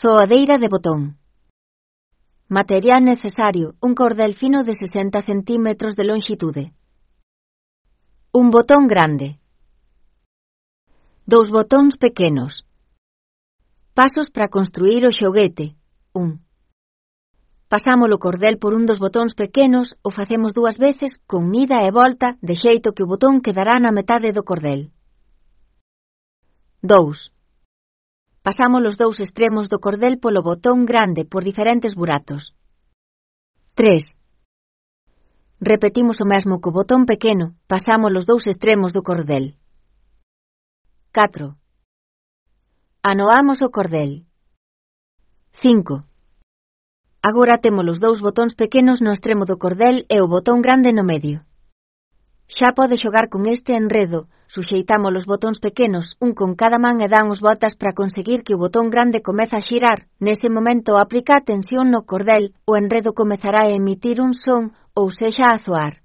Zoadeira de botón. Material necesario: un cordel fino de 60 centímetros de longitude. Un botón grande. 2 botóns pequenos. Pasos para construir o xoguete. 1. Pasamos o cordel por un dos botóns pequenos, o facemos 2 veces con ida e volta, de xeito que o botón quedará na metade do cordel. 2. Pasamos os 2 extremos do cordel polo botón grande por diferentes buratos. 3. Repetimos o mesmo co botón pequeno, pasamos os 2 extremos do cordel. 4. Anoamos o cordel. 5. Agora temos os 2 botóns pequenos no extremo do cordel e o botón grande no medio. Xa pode xogar con este enredo, suxeitamos os botóns pequenos un con cada man e damos voltas para conseguir que o botón grande comeza a xirar. Nese momento aplica a tensión no cordel, o enredo comezará a emitir un son, ou sexa a zoar.